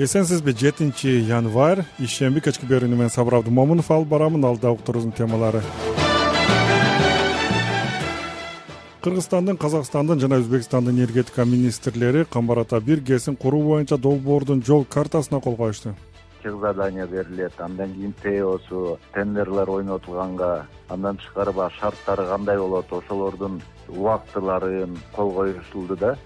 Эсенсизби, 7-январь ишемби кечки берүүнү мен Сабыр Абдымомунов алып барамын. Алда уктуруубуздун темалары: Кыргызстандын, Казакстандын жана Өзбекстандын энергетика министрлери Камбар Ата 1 ГЭСин куруу боюнча долбоордун жол картасына кол коюшту. Задание берилет, андан кийин ТОсу тендерлер ойнотулганга, андан тышкары баягы шарттары кандай болот, ошолордун убактыларын кол коюшулду да.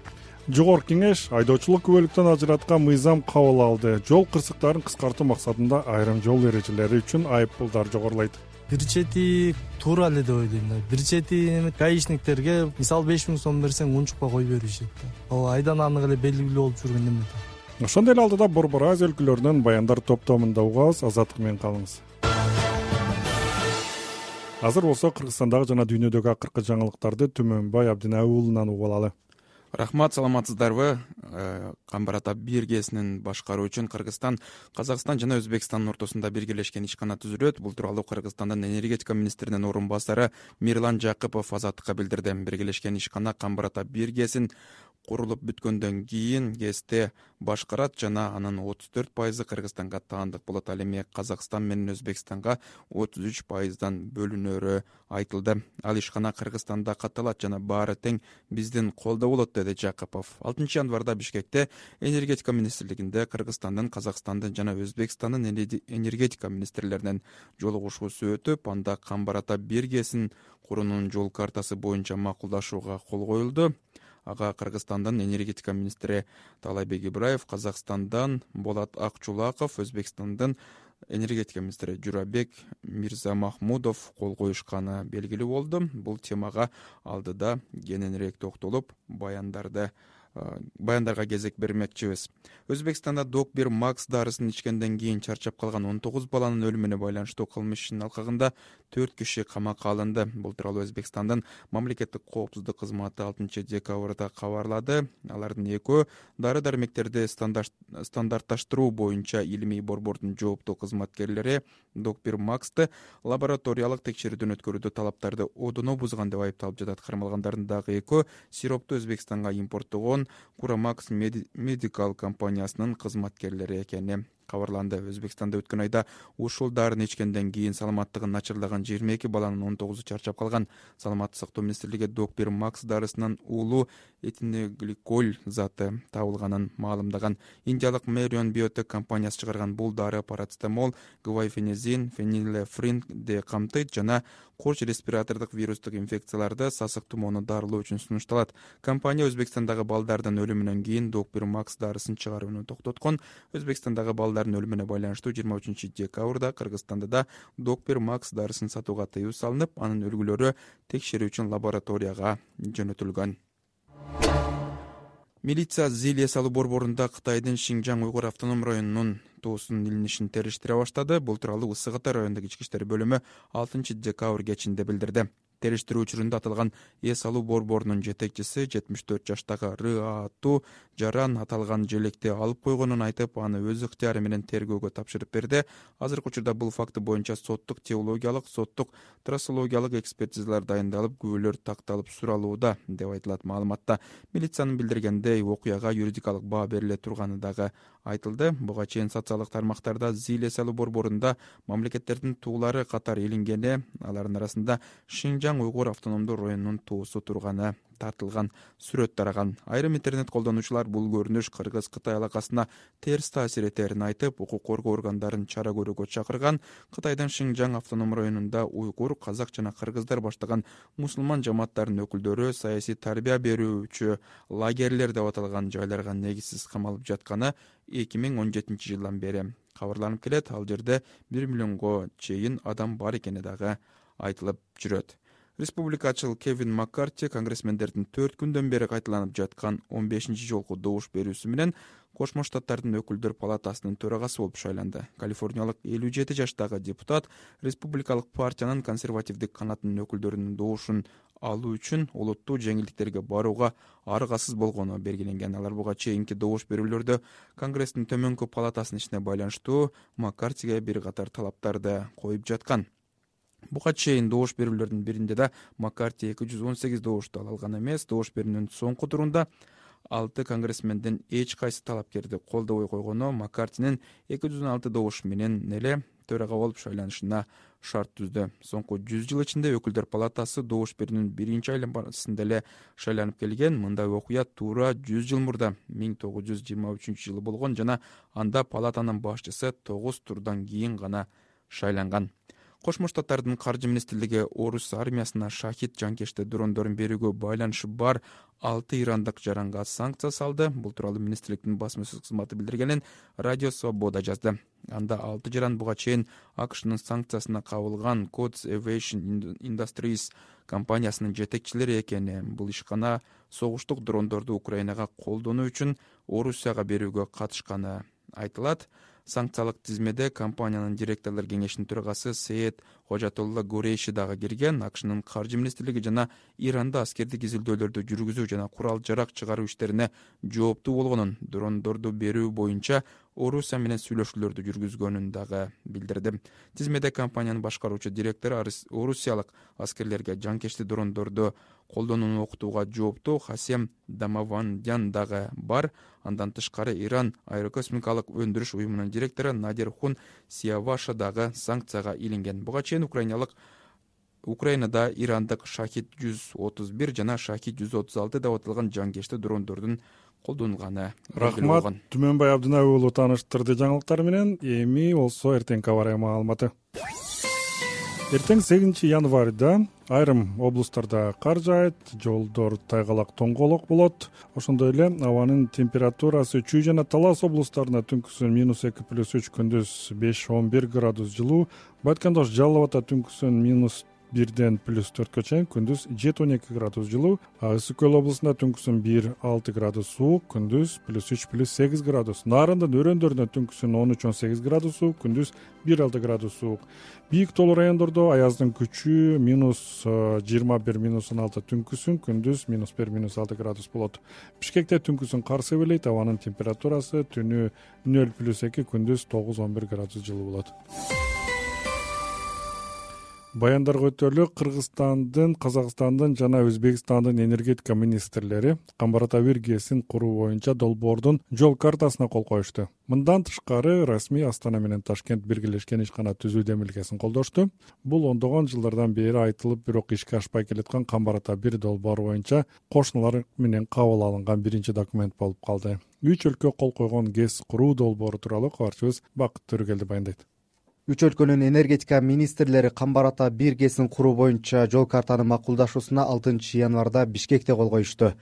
Жогорку кеңеш айдоочулук күбөлүктөн ажыраткан мыйзам кабыл алды. Жол кырсыктарын кыскартуу максатында айрым жол эрежелери үчүн айып пулдар жогорулайт. Бир чети туура эле деп ойлойм да. Бир чети гаишниктерге мисалы 5000 сом берсең унчукпа кой беришет да. Ал айдан анык эле белгилүү болуп жүргөн неме да. Ошондой эле алдыда Борбор Азия өлкөлөрүнөн баяндар топтомунда угабыз. Азаттык менен калыңыз. Азыр болсо Кыргызстандагы жана дүйнөдөгү акыркы жаңылыктарды Түмөнбай Абдинай уулунан угуп алалы. Рахмат, саламатсыздарбы? Камбар Ата 1 ГЭСинин башкаруу үчүн Кыргызстан, Казакстан жана Өзбекстандын ортосунда биргелешкен ишкана түзүлөт. Бул тууралуу Кыргызстандын энергетика министринин орун басары Мирлан Жакыпов Азаттыкка билдирди. Биргелешкен ишкана Камбар Ата 1 ГЭСин курулуп бүткөндөн кийин ГЭСте башкарат жана анын 34% Кыргызстанга таандык болот. Ал эми Казакстан менен Өзбекстанга 33%дан бөлүнөрү айтылды. Ал ишкана Кыргызстанда катталат жана баары тең биздин колдо болот, деди Жакыпов. 6 январда Бишкекте энергетика министрлигинде Кыргызстандын, Казакстандын жана Өзбекстандын энергетика министрлеринин жолугушуусу өтүп, анда Камбар Ата 1 ГЭСин куруунун жол картасы боюнча макулдашууга кол коюлду. Ага Кыргызстандын энергетика министри Таалайбек Ибраев, Казакстандан Болот Акчулаков, Өзбекстандын энергетика министри Журабек Мирзамахмудов кол коюшканы белгилүү болду. Бул темага алдыда кененирээк токтолуп, баяндарга кезек бермекчибиз. Өзбекстанда Док-1 Макс дарысын ичкенден кийин чарчап калган 19 баланын өлүмүнө байланыштуу кылмыш ишинин алкагында 4 киши камакка алынды. Бул тууралуу Өзбекстандын мамлекеттик коопсуздук кызматы 6 декабрда кабарлады. Алардын экөө дары-дармектерди стандартташтыруу боюнча илимий борбордун жооптуу кызматкерлери Док-1 Максты лабораториялык текшерүүдөн өткөрүүдө талаптарды одоно бузган деп айыпталып жатат. Кармалгандардын дагы экөө сиропту Өзбекстанга импорттогон Курамакс Медикал компаниясынын кызматкерлери экени кабарланды. Өзбекстанда өткөн айда ушул дарыны ичкенден кийин саламаттыгын начарлаган 22 баланын 19-у чарчап калган. Саламаттык сактоо министрлиги Док-1 Макс дарысынан уулуу этилгликоль заты табылганын маалымдаган. Индиялык Мэрион Биотек компаниясы чыгарган бул дары парацетамол, гвайфенизин, фенилефринди камтыйт жана коч респиратордук вирустук инфекцияларды, сасык тумоону дарылоо үчүн сунушталат. Компания Өзбекстандагы балдардын өлүмүнөн кийин Док-1 Макс дарысын чыгарууну токтоткон. Өзбекстандагы балдардын өлүмүнө байланыштуу 23 декабрда Кыргызстанда да Док-1 Макс дарысын сатууга тыюу салынып, анын үлгүлөрү текшерүү үчүн лабораторияга жөнөтүлгөн. Милиция Зил эс алуу борборунда Кытайдын Шинжаң Уйгур автоном районунун туусунун илинишин териштире баштады. Бул тууралуу Ысык Атай райондук ички иштер бөлүмү 6 декабрь кечинде билдирди. Териштирүү учурунда аталган эс алуу борборунун жетекчиси 74 жаштагы Р.А. Жаран аталган желекти алып койгонун айтып, аны өз ыктыяры менен тергөөгө тапшырып берди. Азыркы учурда бул факты боюнча соттук теологиялык, соттук трассологиялык экспертизалар дайындалып, күбөлөр такталып суралууда, деп айтылат маалыматта. Милициянын билдиргендей, окуяга юридикалык баа бериле турганы дагы айтылды. Буга чейин социалдык тармактарда Зил эс алуу борборунда мамлекеттердин туулары катары илингени, алардын арасында Шинжаң Уйгур автономдуу районунун туусу турганы тартылган сүрөт тараган. Айрым интернет колдонуучулар бул көрүнүш Кыргыз-Кытай алакасына терс таасир этерин айтып, укук коргоо органдарын чара көрүүгө чакырган. Кытайдын Шинжаң автоном районунда уйгур, казак жана кыргыздар баштаган мусулман жамааттарынын өкүлдөрү саясий тарбия берүүчү лагерлер деп аталган жайларга негизсиз камалып жатканы 2017 жылдан бери кабарланып келет. Ал жерде 1 миллионго чейин адам бар экени дагы айтылып жүрөт. Республикачыл Кевин Маккарти конгрессмендердин 4 күндөн бери кайталанып жаткан 15-ci жолку добуш берүүсү менен Кошмо Штаттардын өкүлдөр палатасынын төрагасы болуп шайланды. Калифорниялык 57 жаштагы депутат республикалык партиянын консервативдик канатынын өкүлдөрүнүн добушун алуу үчүн олуттуу жеңилдиктерге барууга аргасыз болгону белгиленген. Алар буга чейинки добуш берүүлөрдө Конгресстин төмөнкү палатасынын ишине байланыштуу Маккартиге бир катар талаптарды коюп жаткан. Буга чейин добуш берүүлөрдүн биринде да Маккарти 218 добушту ала алган эмес. Добуш берүүнүн соңку турунда 6 конгрессмендин эч кайсы талапкерди колдобой койгону Маккартинин 216 добуш менен эле төрага болуп шайланышына шарт түздү. Соңку 100 жыл ичинде өкүлдөр палатасы добуш берүүнүн биринчи айланмасында эле шайланып келген. Мындай окуя туура 100 жыл мурда 1923 жылы болгон жана анда палатанын башчысы 9 турдан кийин гана шайланган. Кошмо Штаттардын каржы министрлиги орус армиясына шахид жанкечти дрондорун берүүгө байланышы бар 6 ирандык жаранга санкция салды. Бул тууралуу министрликтин басма-сөз кызматы билдиргенин Радио Свобода жазды. Анда 6 жаран буга чейин АКШнын санкциясына кабылган Codes Aviation Industries компаниясынын жетекчилери экени, бул ишкана согуштук дрондорду Украинага колдонуу үчүн Орусияга берүүгө катышканы айтылат. Санкциялык тизмеде компаниянын директорлор кеңешинин төрагасы Сеет Хожатолла Гурейши дагы кирген. АКШнын каржы министрлиги жана Иранда аскердик изилдөөлөрдү жүргүзүү жана курал-жарак чыгаруу иштерине жооптуу болгонун, дрондорду берүү боюнча Орусия менен сүйлөшүүлөрдү жүргүзгөнүн дагы билдирди. Тизмеде компаниянын башкаруучу директору орусиялык аскерлерге жанкечти дрондорду колдонууну окутууга жооптуу Хасем Дамавандян дагы бар. Андан тышкары Иран аэрокосмикалык өндүрүш уюмунун директору Надир Хун Сияваша дагы санкцияга илинген. Буга чейин Украинада ирандык Шахид 131 жана Шахид 136 деп аталган жанкечти дрондордун колдонулганы Рахмат Түмөнбай Абдынаби уулу тааныштырды жаңылыктар менен. Эми болсо эртеңки аба ырайы маалыматы. Эртең 8 январда айрым облустарда кар жаайт, жолдор тайгалак тоңголок болот. Ошондой эле абанын температурасы Чүй жана Талас облустарында түнкүсүн -2+3, күндүз 5-11 градус жылуу, Байткандош Жалал Абадда түнкүсүн -1ден +4 чейин, күндүз 7-12 градус жылуу, Ысык Көл облусунда түнкүсүн 1-6 градус суук, күндүз +3-8 градус. Нарындын өрөөндөрүндө түнкүсүн 13-18 градус суук, күндүз 1-6 градус суук. Бийик тоолуу райондордо аяздын күчү -21-16 түнкүсүн, күндүз -1-6 градус болот. Бишкекте түнкүсүн кар себелейт, абанын температурасы түнү 0+2, күндүз 9-11 градус жылуу болот. Баяндарга өтөлүк Кыргызстандын, Казакстандын жана Өзбекстандын энергетика министрлери Камбар-Ата 1 ГЭСин куруу боюнча долбоордун жол картасына кол коюшту. Мындан тышкары расмий Астана менен Ташкент биргелешкен ишкана түзүү демилгесин колдошту. Бул ондогон жылдардан бери айтылып, бирок ишке ашпай келаткан Камбар-Ата 1 долбоору боюнча кошуналар менен кабыл алынган биринчи документ болуп калды. 3 өлкө кол койгон ГЭС куруу долбоору тууралуу кабарчыбыз Бакыт Төрөгелди баяндайт. 3 өлкөнүн энергетика министрлери Камбар-Ата 1 ГЭСин куруу боюнча жол картаны макулдашуусуна 6 январда Бишкекте кол коюшту.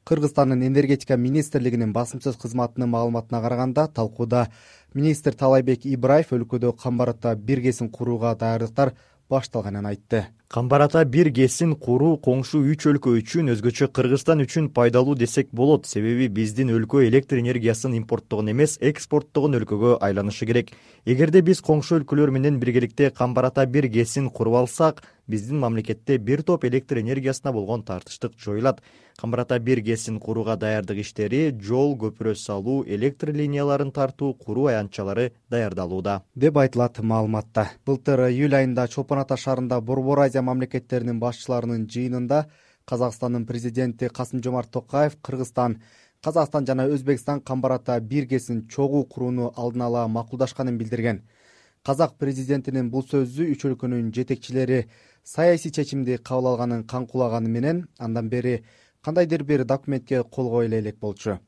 Кыргызстандын энергетика министрлигинин басым-сөз кызматынын маалыматына караганда, талкууда министр Талайбек Ибраев өлкөдө Камбар-Ата 1 ГЭСин курууга даярдыктар башталганын айтты. Камбар-Ата 1 ГЭСин куруу коңшу 3 өлкө үчүн, өзгөчө Кыргызстан үчүн пайдалуу десек болот. Себеби биздин өлкө электр энергиясын импорттогон эмес, экспорттогон өлкөгө айланышы керек. Эгерде биз коңшу өлкөлөр менен биргеликте Камбар-Ата 1 ГЭСин куруп алсак, биздин мамлекетте бир топ электр энергиясына болгон тартыштык жоюлат. Камбар-Ата 1 ГЭСин курууга даярдык иштери, жол, көпүрө салуу, электр линияларын тартуу, куруу аянтчалары даярдалууда, деп айтылат маалыматта. Былтыр июль айында Чолпон Ата шаарында Борбор Азия мамлекеттеринин башчыларынын жыйынында Казакстандын президенти Касым-Жомарт Токаев Кыргызстан, Казакстан жана Өзбекстан Камбар-Ата 1 ГЭСин чогуу курууну алдын ала макулдашканын билдирген. Казак президентинин бул сөзү 3 өлкөнүн жетекчилери саясий чечимди кабыл алганын каңкулаганы менен андан бери кандайдыр бир документке кол кое элек болчу.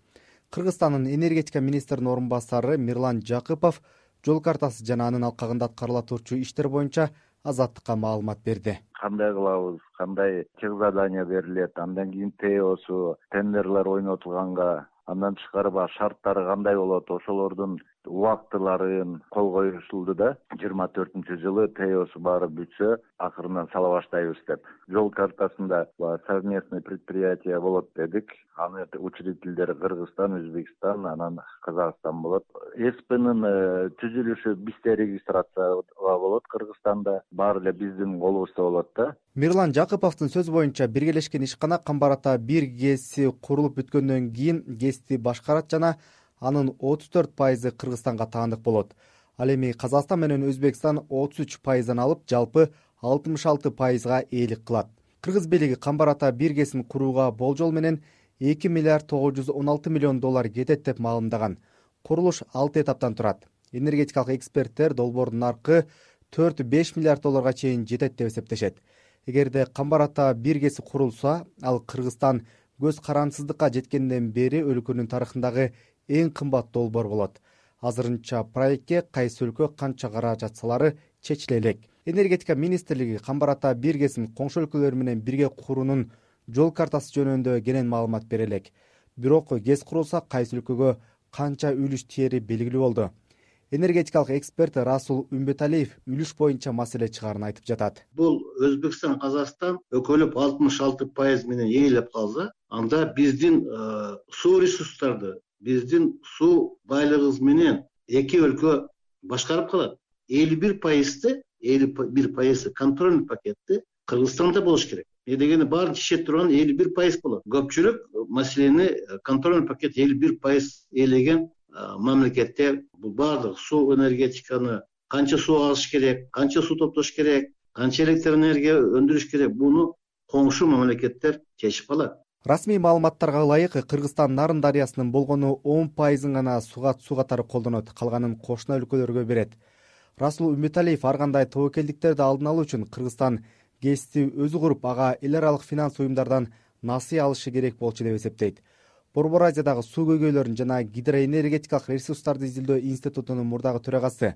Кыргызстандын энергетика министринин орун басары Мирлан Жакыпов жол картасы жана анын алкагында аткарыла турчу иштер боюнча Азаттыкка маалымат берди. Кандай кылабыз, кандай чек задания берилет, андан кийин ТОсу, тендерлер ойнотулганга, андан тышкары шарттары кандай болот, ошолордун убактыларын кол коюшулду да. 24-жылы ТОсу баары бүтсө, акырынан сала баштайбыз деп. Жол картасында совместный предприятие болот дедик. Аны учредителдери Кыргызстан, Өзбекстан, анан Казакстан болот. СПнын түзүлүшү бизде регистрация болот Кыргызстанда, баары эле биздин колубузда болот да. Мирлан Жакыповдун сөзү боюнча биргелешкен ишкана Камбар-Ата 1 ГЭСи курулуп бүткөндөн кийин ГЭСти башкарат жана анын 34% Кыргызстанга таандык болот. Ал эми Казакстан менен Өзбекстан 33% алып, жалпы 66%га ээлик кылат. Кыргыз бийлиги Камбар-Ата 1 ГЭСин курууга болжол менен 2 миллиард 916 миллион доллар кетет деп маалымдаган. Курулуш 6 этаптан турат. Энергетикалык эксперттер долбоордун наркы 4-5 миллиард долларга чейин жетет деп эсептешет. Эгерде Камбар Ата 1 ГЭСи курулса, ал Кыргызстан көз карансыздыкка жеткенден бери өлкөнүн тарыхындагы эң кымбат долбоор болот. Азырынча проектке кайсы өлкө канча каражат салары чечиле элек. Энергетика министрлиги Камбар Ата 1 ГЭСин коңшу өлкөлөр менен бирге куруунун жол картасы жөнүндө кенен маалымат бере элек. Бирок ГЭС курулса кайсы өлкөгө канча үлүш тиери белгилүү болду. Энергетикалык эксперт Расул Үмбеталиев үлүш боюнча маселе чыгаарын айтып жатат. Бул Өзбекстан, Казакстан өкөлөп 66% менен ээлеп калса, анда биздин суу ресурстарды, биздин суу байлыгыбыз менен эки өлкө башкарып калат. 51% контрольный пакетти Кыргызстанда болуш керек. Дегени баары чечет турган 51% болот. Көпчүлүк маселени контрольный пакет 51% ээлеген мамлекеттер бул баардык суу энергетиканы канча суу алыш керек, канча суу топтош керек, канча электр энергия өндүрүш керек, буну коңшу мамлекеттер чечип алат. Расмий маалыматтарга ылайык Кыргызстан Нарын дарыясынын болгону 10% гана суу катары колдонот, калганын кошуна өлкөлөргө берет. Расул Үмбеталиев ар кандай тобокелдиктерди алдын алуу үчүн Кыргызстан ГЭСти өзү куруп, ага эл аралык финанс уюмдардан насый алышы керек болчу деп эсептейт. Борбор Азиядагы суу көйгөйлөрүн жана гидроэнергетикалык ресурстарды изилдөө институтунун мурдагы төрагасы,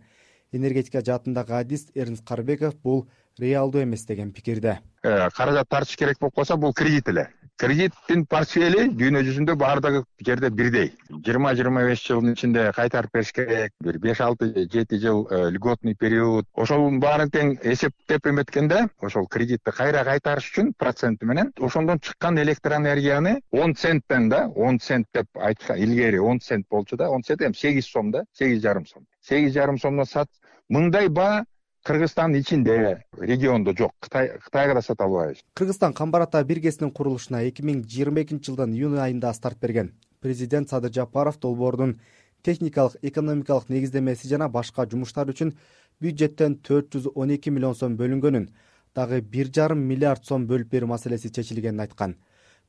энергетика жаатындагы адист Эрнст Карбеков бул реалдуу эмес деген пикирде. Каражат тартыш керек болуп калса, бул кредит эле. Кредиттин портфели дүйнө жүзүндө баардыгы жерде бирдей. 20-25 жылдын ичинде кайтарып бериш керек. 5-6-7 жыл льготный период. Ошонун баарын тең эсептеп эметкенде, ошол кредитти кайра кайтарыш үчүн проценти менен ошондон чыккан электр энергияны 10 центтен да, 10 цент деп айтса, илгери 10 цент болчу да, 10 цент эми 8 сом да, 8,5 сом. 8,5 сомдон сат. Мындай баа Кыргызстандын ичинде, региондо жок. Кытайга да сата албайбыз. Кыргызстан Камбар Ата 1 ГЭСинин курулушуна 2022 жылдын июнь айында старт берген. Президент Садыр Жапаров долбоордун техникалык, экономикалык негиздемеси жана башка жумуштар үчүн бюджеттен 412 миллион сом бөлүнгөнүн, дагы 1,5 миллиард сом бөлүп берүү маселеси чечилгенин айткан.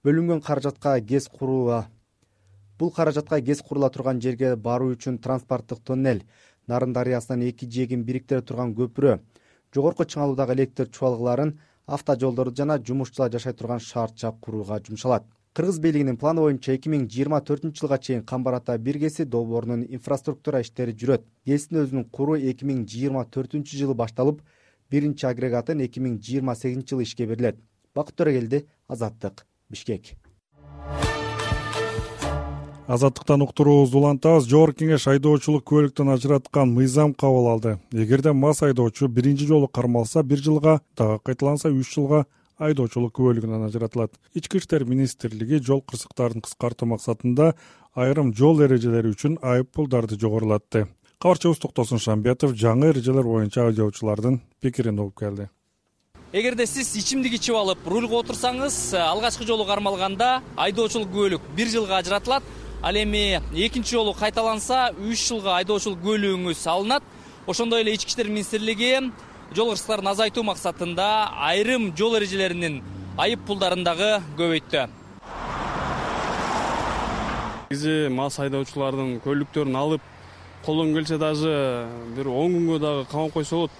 Бөлүнгөн каражатка ГЭС курула турган жерге баруу үчүн транспорттук тоннель, Нарын дарыясынан 2 жээгин бириктире турган көпүрө, жогорку чыңалуудагы электр чубалгыларын, автожолдорду жана жумушчулар жашай турган шаарча курууга жумшалат. Кыргыз бийлигинин планы боюнча 2024 жылга чейин Камбар Ата 1 ГЭСи долбоорунун инфраструктура иштери жүрөт. ГЭСтин өзүнүн куруу 2024 жылы башталып, биринчи агрегатын 2028 жылы ишке берилет. Бакыт Төрөгелди, Азаттык, Бишкек. Азаттыктан уктуруубузду улантабыз. Жогорку кеңеш айдоочулук куөлүктөн ажыраткан мыйзам кабыл алды. Эгерде мас айдоочу биринчи жолу кармалса 1 жылга, дагы кайталанса 3 жылга айдоочулук күбөлүгүнөн ажыратылат. Ички иштер министрлиги жол кырсыктарын кыскартуу максатында айрым жол эрежелери үчүн айып пулдарды жогорулатты. Кабарчыбыз Токтосун Шамбетов жаңы эрежелер боюнча айдоочулардын пикирин угуп келди. Эгерде сиз ичимдик ичип алып рульга отурсаңыз, алгачкы жолу кармалганда айдоочулук күбөлүк 1 жылга ажыратылат. Ал эми экинчи жолу кайталанса 3 жылга айдоочулук күбөлүгүңүз алынат. Ошондой эле Ички иштер министрлиги жол кырсыктарын азайтуу максатында айрым жол эрежелеринин айып пулдарын дагы көбөйттү. Бизи мас айдоочулардын көлүктөрүн алып колдон келсе даже бир 10 күнгө дагы камап койсо болот.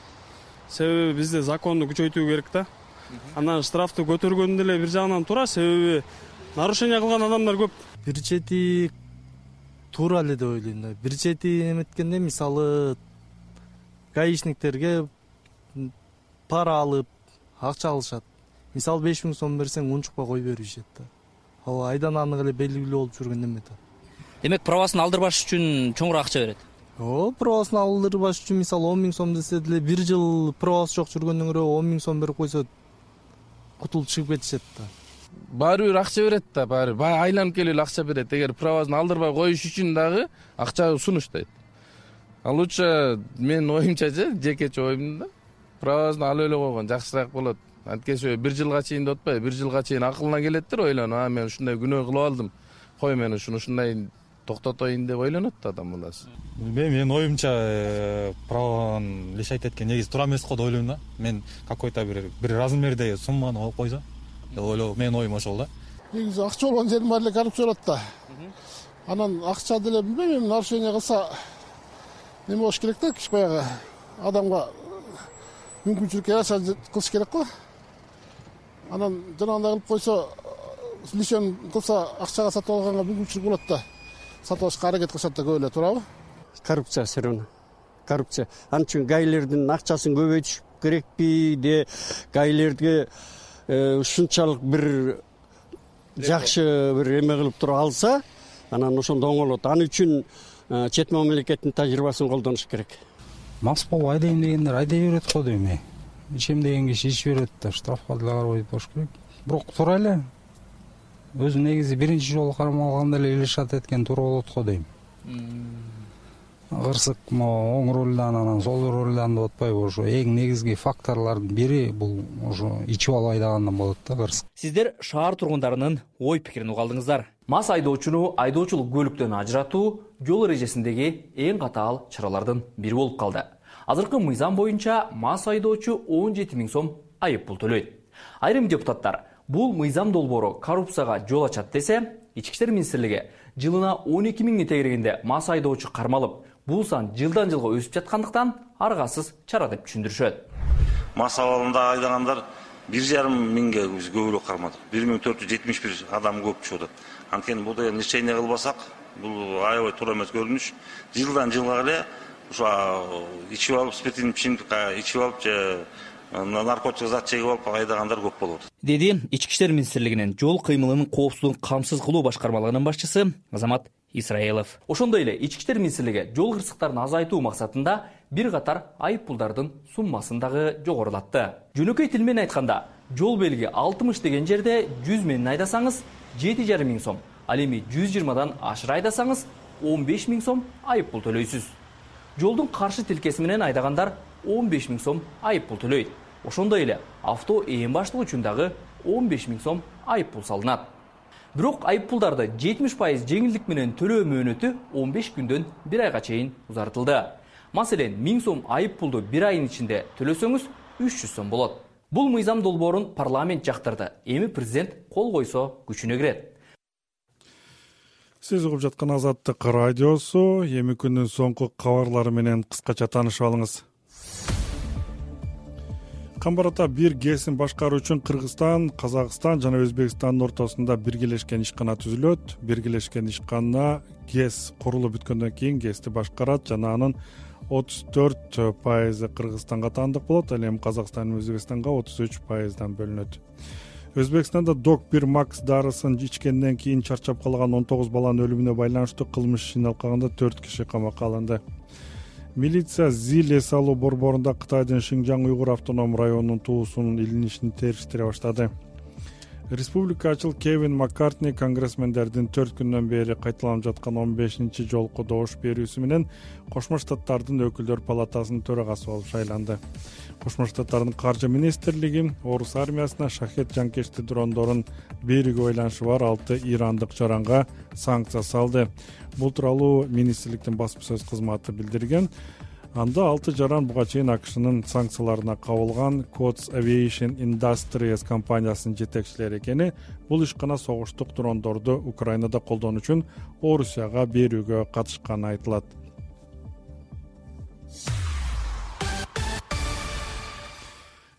Себеби бизде законду күчөйтүү керек да. Анан штрафты көтөргөн деле бир жагынан туура, себеби нарушение кылган адамдар көп. Бир чети туура эле деп ойлойм да. Бир чети эметкенде мисалы гаишниктерге пара алып акча алышат. Мисалы 5000 сом берсең унчукпай кой беришет да. Ал айдан анык эле белгилүү болуп жүргөн эме да. Демек правасын алдырбаш үчүн чоңураак акча берет. Правасын алдырбаш үчүн мисалы 10 000 сом десе деле 1 жыл правасы жок жүргөндөн көрө 10 000 сом берип койсо кутулуп чыгып кетишет да. Баары бир акча берет да, баары айланып келип акча берет. Эгер правасын алдырбай коюш үчүн дагы акча сунуштайт. Ал лучше менин оюмча жекече оюм да, правасын алып эле койгон жакшыраак болот. Анткени 1 жылга чейин деп атпайбы, 1 жылга чейин акылына келеттир, ойлонуп, мен ушундай күнөө кылып алдым. Кой мен ушундай токтотоюн деп ойлонот да адам баласы. Менин оюмча праваны лишайт эткен негизи туура эмес го деп ойлойм да. Мен какой-то бир размерде сумманы коюп койсо деп ойлоо, менин оюм ошол да. негизи акча болгон жердин баары эле коррупция болот да. Анан акча деле билбейм, эми нарушение кылса неме болуш керек да, баягы адамга мүмкүнчүлүк яша кылыш керек го. Анан жанагындай кылып койсо, лишен кылса акчага сатып алганга мүмкүнчүлүк болот да. Сатып алышка аракет кылышат да, көп эле, туурабы? Коррупция все равно. Коррупция. Анын үчүн гаилердин акчасын көбөйтүш керекпи де, гаилерге ушунчалык бир жакшы бир эме кылып туруп алса, анан ошондо оңолот. Аны үчүн чет мамлекеттин тажрыйбасын колдонуш керек. Мас болуп айдайм дегендер айдай берет го дейм. Ичем деген киши ичип берет да, штрафка деле карабай болуш керек. Бирок туура эле. Өзү негизи биринчи жолу кармалганда эле илишат эткен туура болот го дейм. Кырсык оң рулдан анан сол рулдан деп атпайбы, ошо эң негизги факторлордун бири бул ошо ичип алып айдагандан болот да, кырсык. Сиздер шаар тургундарынын ой пикирин уга алдыңыздар. Мас айдоочуну айдоочулук көлүктөн ажыратуу жол эрежесиндеги эң катаал чаралардын бири болуп калды. Азыркы мыйзам боюнча мас айдоочу 17 000 сом айып пул төлөйт. Айрым депутаттар бул мыйзам долбоору коррупцияга жол ачат десе, Ички иштер министрлиги жылына 12 000 тегергенде мас айдоочу кармалып, бул сан жылдан жылга өсүп жаткандыктан аргасыз чара деп түшүндүрүшөт. Мас абалында айдагандар 1,5 миңге көбүрөөк кармадык. 1471 адам көп чыгып атат. Анткени бул деген лечение кылбасак, бул аябай туура эмес көрүнүш. Жылдан жылга эле ошо ичип алып, спиртин ичимдик ичип алып же наркотик зат чегип алып айдагандар көп болуп атат. Деди Ички иштер министрлигинин жол кыймылынын коопсуздугун камсыз кылуу башкармалыгынын башчысы Азамат Исраилов. Ошондой эле Ички иштер министрлиги жол кырсыктарын азайтуу максатында бир катар айып пулдардын суммасын дагы жогорулатты. Жөнөкөй тил менен айтканда, жол белги 60 деген жерде 100 менен айдасаңыз 7,5 миң сом, ал эми 120дан ашыра айдасаңыз 15 000 сом айып пул төлөйсүз. Жолдун каршы тилкеси менен айдагандар 15 000 сом айып пул төлөйт. Ошондой эле авто ээн баштыгы үчүн дагы 15 000 сом айып пул салынат. Бирок айып пулдарды 70% жеңилдик менен төлөө мөөнөтү 15 күндөн 1 айга чейин узартылды. Маселен, 1000 сом айып пулду 1 айдын ичинде төлөсөңүз 300 сом болот. Бул мыйзам долбоорун парламент жактырды. Эми президент кол койсо күчүнө кирет. Сиз угуп жаткан Азаттык радиосу, эми күндүн соңку кабарлары менен кыскача таанышып алыңыз. Камбарата бир ГЭСин башкаруу үчүн Кыргызстан, Казакстан жана Өзбекстандын ортосунда биргелешкен ишкана түзүлөт. Биргелешкен ишкана ГЭС курулуп бүткөндөн кийин ГЭСти башкарат жана анын 34% Кыргызстанга таандык болот, ал эми Казакстан менен Өзбекстанга 33%дан бөлүнөт. Өзбекстанда Док-1 Макс дарысын ичкенден кийин чарчап калган 19 баланын өлүмүнө байланыштуу кылмыш ишин алкаганда 4 киши камакка алынды. Милиция Зил эс алуу борборунда Кытайдын Шинжаң Уйгур автоном районунун туусунун илинишин териштире баштады. Республикачыл Кевин Маккартни конгрессмендердин 4 күндөн бери кайталанып жаткан 15-чи жолку добуш берүүсү менен Кошмо Штаттардын өкүлдөр палатасынын төрагасы болуп шайланды. Кошмо Штаттардын каржы министрлиги Орус армиясына шахет жанкечти дрондорун берүүгө байланышы бар 6 ирандык жаранга санкция салды. Бул тууралуу министрликтин басма сөз кызматы билдирген. Анда 6 жаран буга чейин АКШнын санкцияларына кабылган Codes Aviation Industries компаниясынын жетекчилери экени, бул ишкана согуштук дрондорду Украинада колдонуу үчүн Орусияга берүүгө катышканы айтылат.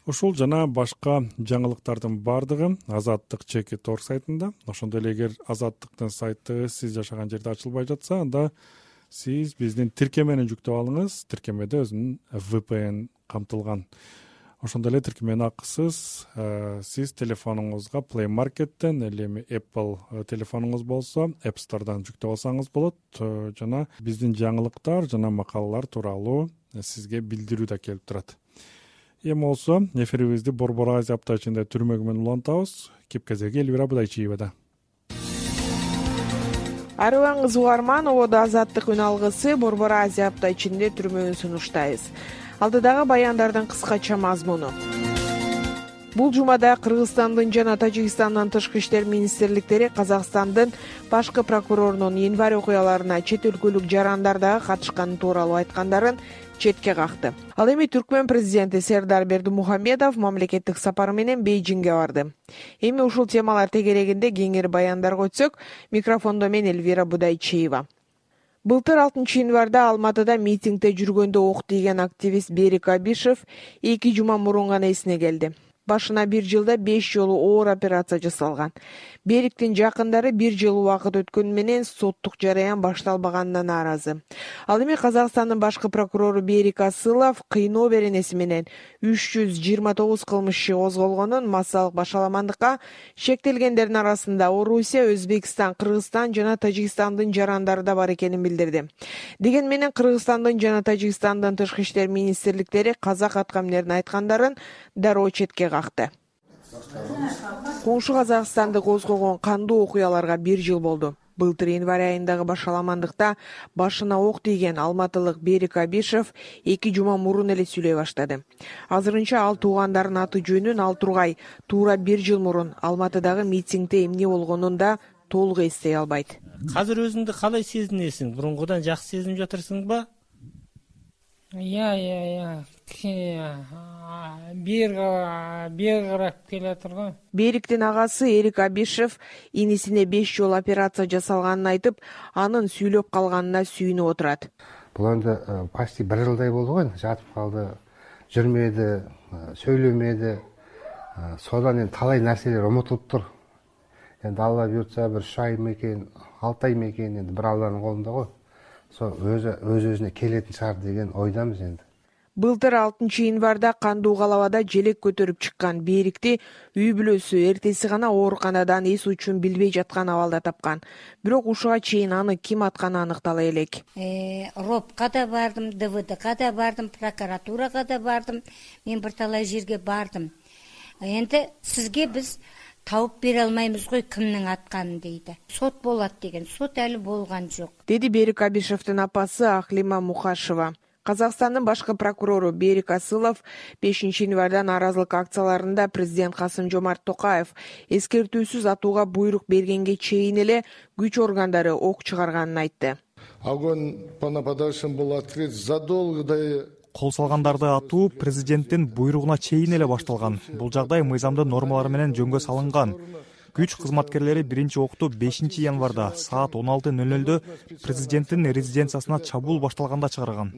Ушул жана башка жаңылыктардын бардыгы Азаттык /Тор сайтында. Ошондой эле эгер Азаттыктын сайты сиз жашаган жерде ачылбай жатса, анда сиз биздин тиркемени жүктөп алыңыз. Тиркемеде өзүнүн VPN камтылган. Ошондой эле тиркемени акысыз сиз телефонуңузга Play Market'тен, эми Apple телефонуңуз болсо App Store'дан жүктөп алсаңыз болот. Жана биздин жаңылыктар жана макалалар тууралуу сизге билдирүү да келип турат. Эми болсо эфирибизди Борбор Азия аптачында түрмөгү менен улантабыз. Кепкезеги Элвира Будайчиевада. Арыбаңыз угарман, ободо Азаттык үн алгысы Борбор Азия апта ичинде түрмөгүн сунуштайбыз. Алдыдагы баяндардын кыскача мазмуну. Бул жумада Кыргызстандын жана Тажикстандын тышкы иштер министрликтери Казакстандын башкы прокурорунун январь окуяларына чет өлкөлүк жарандар дагы катышканы тууралуу айткандарын четке какты. Ал эми Түркмөн президенти Сердар Бердимухамедов мамлекеттик сапары менен Бейжиңге барды. Эми ушул темалар тегерегинде кеңири баяндарга өтсөк, микрофондо мен Элвира Будайчиева. Былтыр 6 январда Алматыда митингде жүргөндө ок тийген активист Берик Абишев 2 жума мурун гана эсине келди. Башына 1 жылда 5 жолу оор операция жасалган. Бериктин жакындары 1 жыл убакыт өткөнү менен соттук жараян башталбаганына нааразы. Ал эми Казакстандын башкы прокурору Берик Асылов кыйноо беренеси менен 329 кылмыш иши козголгонун, массалык башаламандыкка шектелгендердин арасында Орусия, Өзбекстан, Кыргызстан жана Тажикстандын жарандары да бар экенин билдирди. Деген менен Кыргызстандын жана Тажикстандын тышкы иштер министрликтери казак аткаминердин айткандарын дароо четке какты. Коңшу Казакстанды козгогон кандуу окуяларга 1 жыл болду. Былтыр январь айындагы башаламандыкта башына ок тийген алматылык Берик Абишев 2 жума мурун эле сүйлөй баштады. Азырынча ал туугандарынын аты жөнүн ал тургай туура 1 жыл мурун Алматыдагы митингде эмне болгонун да толук эстей албайт. Азыр өзүңдү калай сезинесиң? Бурунгудан жакшы сезинип жатырсыңбы? Бир карап келе турган. Бериктин агасы Эрик Абишев инисине 5 жол операция жасалганын айтып, анын сүйлөп калганына сүйүнүп отурат. Бул эми почти 1 жылдай болду го, жатып калды, жүрмөдү, сүйлөмөдү. Содан эми талай нерселер унутулуптур. Эndi Алла буйртса 1 ай мекен, 6 ай мекен, эndi бир Алланын колунда го. Өз-өзүнө келетін шаар деген ойдамыз енді. Былтыр 6 январда кандуу калабада желек көтөрүп чыккан Берикти үй бүлөсү эртеси гана ооруканадан эс учун билбей жаткан абалда тапкан. Бирок ушуга чейин аны ким атканы аныктала элек. РОПКа да бардым, ДВДга да бардым, прокуратурага да бардым. Мен бир талай жерге бардым. Энди сизге биз тауып бере алмаймыз ғой кимнин атканын дейди. Сот болот деген, сот әлі болган жок. Деди Берик Абишевдин апасы Ахлима Мухашева. Казакстандын башкы прокурору Берик Асылов 5 январда нааразылык акцияларында президент Касым-Жомарт Токаев эскертүүсүз атууга буйрук бергенге чейин эле күч органдары ок чыгарганын айтты. Огонь по нападавшим был открыт задолго до кол салгандарды атуу президенттин буйругуна чейин эле башталган. Бул жагдай мыйзамдын нормалары менен жөнгө салынган. Күч кызматкерлери 1-окту 5 январда саат 16:00 президенттин резиденциясына чабуул башталганда чыгарган.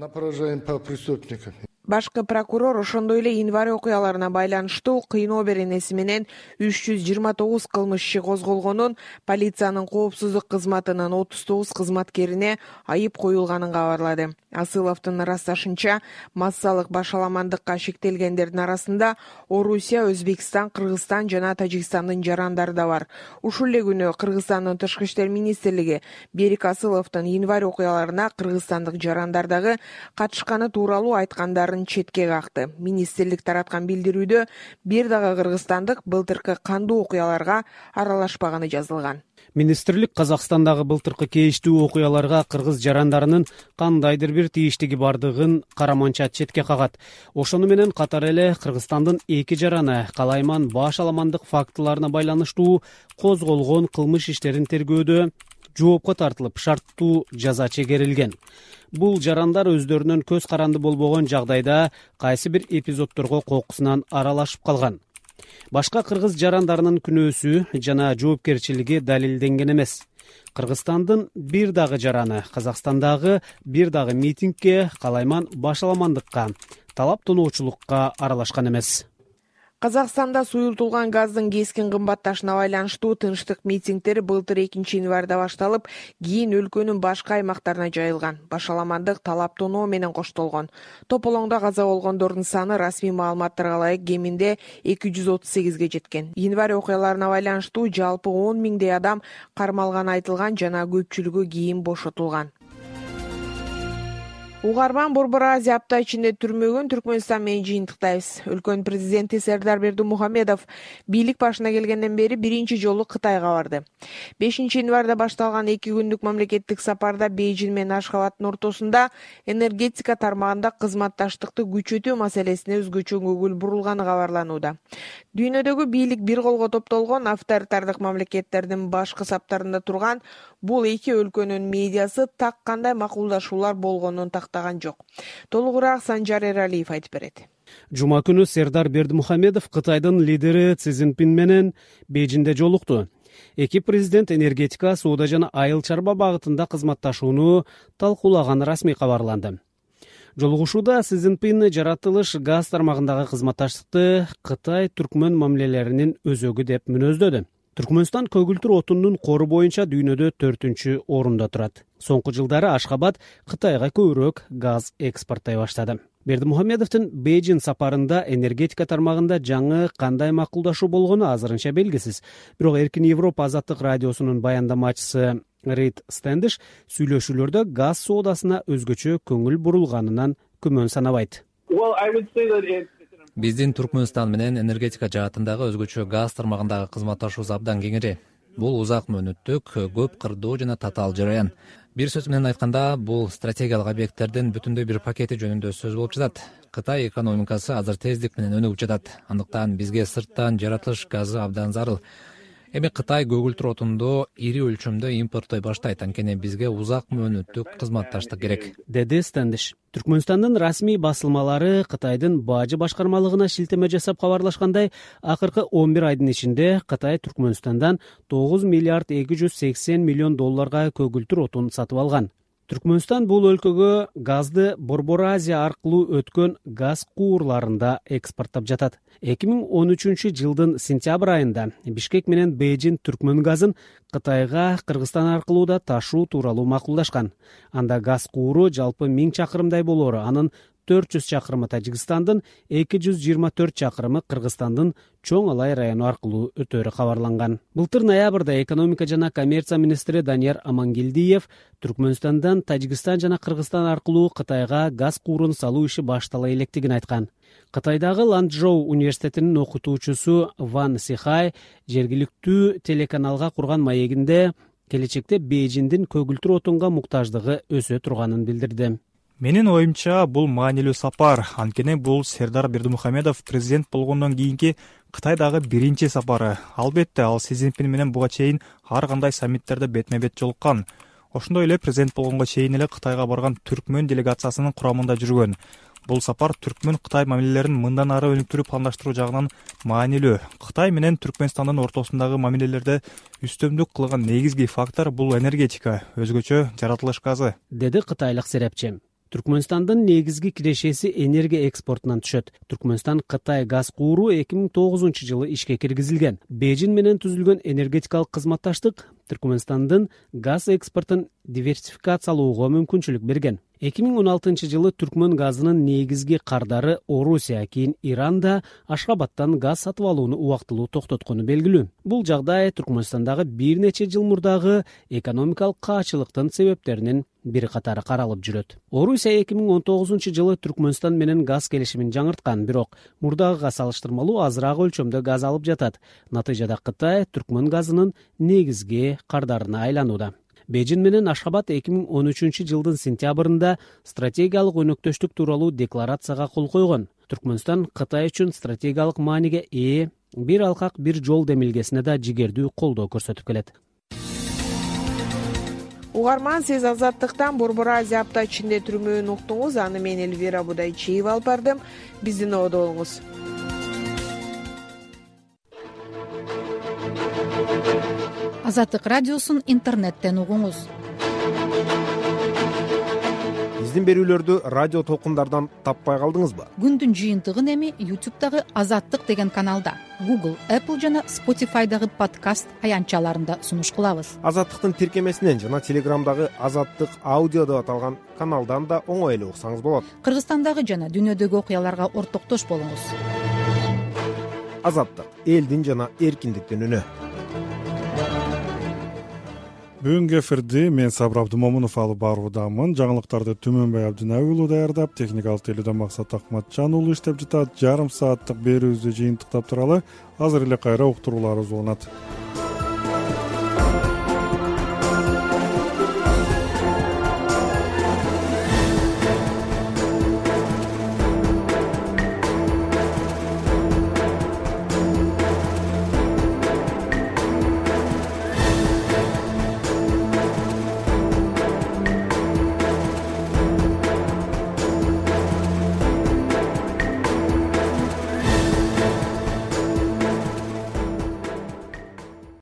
Башкы прокурор ошондой эле январь окуяларына байланыштуу кыйноо беренеси менен 329 кылмыш иши козголгонун, полициянын коопсуздук кызматынын 39 кызматкерине айып коюлганын кабарлады. Асыловдун ырасташынча, массалык башаламандыкка шектелгендердин арасында Орусия, Өзбекстан, Кыргызстан жана Тажикстандын жарандары да бар. Ушул эле күнү Кыргызстандын тышкы иштер министрлиги Берик Асыловдун январь окуяларына кыргызстандык жарандар дагы катышканы тууралуу айткандарын четке какты. Министрлик тараткан билдирүүдө бир дагы кыргызстандык былтыркы кандуу окуяларга аралашпаганы жазылган. Министрлик Казакстандагы былтыркы кейиштүү окуяларга кыргыз жарандарынын кандайдыр бир тийиштиги бардыгын караманча четке кагат. Ошону менен катар эле Кыргызстандын 2 жараны калайман башаламандык фактыларына байланыштуу козголгон кылмыш иштерин тергөөдө жоопко тартылып, шарттуу жаза чегерилген. Бул жарандар өздөрүнүн көз каранды болбогон жагдайда кайсы бир эпизоддорго кокусунан аралашып калган. Башка кыргыз жарандарынын күнөөсү жана жоопкерчилиги далилденген эмес. Кыргызстандын бир дагы жараны Казакстандагы бир дагы митингге, калайман башаламандыкка, талап тоноочулукка аралашкан эмес. Казакстанда суюлтулган газдын кескин кымбатташына байланыштуу тынчтык митингдери былтыр 2 январда башталып, кийин өлкөнүн башка аймактарына жайылган. Башаламандык талап тоноо менен коштолгон. Тополоңдо каза болгондордун саны расмий маалыматтарга ылайык кеминде 238ге жеткен. Январь окуяларына байланыштуу жалпы 10 миңдей адам кармалганы айтылган жана көпчүлүгү кийин бошотулган. Угарман Борбор Азия апта ичинде түрмөгөн Түркмөнстан менен жыйынтыктайбыз. Өлкөнүн президенти Сердар Бердимухамедов бийлик башына келгенден бери биринчи жолу Кытайга барды. 5-январда башталган 2 күндүк мамлекеттик сапарда Бейжин менен Ашхабадтын ортосунда энергетика тармагында кызматташтыкты күчөтүү маселесине өзгөчө көңүл бурулганы кабарланууда. Дүйнөдөгү бийлик бир колго топтолгон авторитардык мамлекеттердин башкы саптарында турган бул эки өлкөнүн медиасы так кандай макулдашуулар болгонун тактаган жок. Толугураак Санжар Эралиев айтып берет. Жума күнү Сердар Бердимухамедов Кытайдын лидери Си Цзиньпин менен Бейжинде жолукту. Эки президент энергетика, соода жана айыл чарба багытында кызматташууну талкуулаганы расмий кабарланды. Жолугушууда Си Цзиньпин жаратылыш газ тармагындагы кызматташтыкты Кытай-Түркмөн мамилелеринин өзөгү деп мүнөздөдү. Түркмөнстан көгүлтүр отундун кору боюнча дүйнөдө 4-орунда турат. Соңку жылдары Ашхабад Кытайга көбүрөөк газ экспорттой баштады. Бердимухамедовдун Бейжин сапарында энергетика тармагында жаңы кандай макулдашуу болгону азырынча белгисиз. Бирок Эркин Европа азаттык радиосунун баяндамачысы Рид Стендиш сүйлөшүүлөрдө газ соодасына өзгөчө көңүл бурулганынан күмөн санабайт. Биздин Түркмөнстан менен энергетика жаатындагы өзгөчө газ тармагындагы кызматташуубуз абдан кеңири. Бул узак мөөнөттүк, көп кырдуу жана татаал жараян. Бир сөз менен айтканда, бул стратегиялык объекттердин бүтүндөй бир пакети жөнүндө сөз болуп жатат. Кытай экономикасы азыр тездик менен өнүгүп жатат. Андыктан бизге сырттан жаратылыш газы абдан зарыл. Эми Кытай көгүлтүр отунду ири өлчөмдө импорттой баштайт, анткени бизге узак мөөнөттүк кызматташтык керек, деди Стендиш. Түркмөнстандын расмий басылмалары Кытайдын бажы башкармалыгына шилтеме жасап кабарлашкандай, акыркы 11 айдын ичинде Кытай Түркмөнстандан 9 миллиард 280 миллион долларга көгүлтүр отун сатып алган. Түркмөнстан бул өлкөгө газды Борбор Азия аркылуу өткөн газ куурларында экспорттоп жатат. 2013 жылдын сентябрь айында Бишкек менен Бейжин Түркмөн газын Кытайга Кыргызстан аркылуу да ташуу тууралуу макулдашкан. Анда газ кууру жалпы 1000 чакырымдай болору, анын 400 чакырымы Тажикстандын, 224 чакырымы Кыргызстандын Чоң Алай району аркылуу өтөөрү кабарланган. Былтыр ноябрда экономика жана коммерция министри Данияр Амангелдиев Түркмөнстандан Тажикстан жана Кыргызстан аркылуу Кытайга газ куурун салуу иши баштала электигин айткан. Кытайдагы Ланчжоу университетинин окутуучусу Ван Сихай жергиликтүү телеканалга курган маегинде келечекте Бейжиндин көгүлтүр отунга муктаждыгы өсө турганын билдирди. Менин оюмча, бул маанилүү сапар, анткени бул Сердар Бердимухамедов президент болгондон кийинки Кытайдагы биринчи сапары. Албетте, ал Си Цзиньпин менен буга чейин ар кандай саммиттерде бетме-бет жолуккан. Ошондой эле президент болгонго чейин эле Кытайга барган Түркмөн делегациясынын курамында жүргөн. Бул сапар Түркмөн-Кытай мамилелерин мындан ары өнүктүрүп пландаштыруу жагынан маанилүү. Кытай менен Түркмөнстандын ортосундагы мамилелерде үстөмдүк кылган негизги фактор бул энергетика, өзгөчө жаратылыш газы, деди кытайлык серепчи. Түркмөнстандын негизги кирешеси энергия экспортунан түшөт. Түркмөнстан Кытай газ кууру 2009 жылы ишке киргизилген. Бейжин менен түзүлгөн энергетикалык кызматташтык Түркмөнстандын газ экспортун диверсификациялоого мүмкүнчүлүк берген. 2016 жылы Түркмөн газынын негизги кардары Орусия, кийин Иран да Ашхабадтан газ сатып алууну убактылуу токтоткону белгилүү. Бул жагдай Түркмөнстандагы бир нече жыл мурдагы экономикалык каачылыктын себептеринин бири катары каралып жүрөт. Орусия 2019 жылы Түркмөнстан менен газ келишимин жаңырткан, бирок мурдагыга салыштырмалуу азыраак өлчөмдө газ алып жатат. Натыйжада Кытай Түркмөн газынын негизги кардарына айланууда. Бейжин менен Ашхабад 2013 жылдын сентябрында стратегиялык өнөктөштүк тууралуу декларацияга кол койгон. Түркмөнстан Кытай үчүн стратегиялык мааниге ээ бир алкак бир жол демилгесине да жигердүү колдоо көрсөтүп келет. Угарман, сиз азаттыктан Борбор Азия апта ичинде түрмөөнү уктуңуз. Аны мен Эльвира Будайчиева алып бардым. Биздин ободо болуңуз. Азаттык радиосун интернеттен угуңуз. Биздин берүүлөрдү радио толкундардан таппай калдыңызбы? Күндүн жыйынтыгын эми YouTube'дагы Азаттык деген каналда, Google, Apple жана Spotify'дагы подкаст аянтчаларында сунуш кылабыз. Азаттыктын тиркемесинен жана Телеграмдагы Азаттык аудио деп аталган каналдан да оңой эле уксаңыз болот. Кыргызстандагы жана дүйнөдөгү окуяларга ортоктош болуңуз. Азаттык, элдин жана эркиндиктин үнү. Бүгүнкү эфирди мен Сабыр Абдымомунов алып баруудамын. Жаңылыктарды Түмөнбай Абдынаби уулу даярдап, техникалык тейлөөдө Максат Акматжан уулу иштеп жатат. Жарым сааттык берүүбүздү жыйынтыктап туралы азыр эле кайра уктурууларыбыз уланат.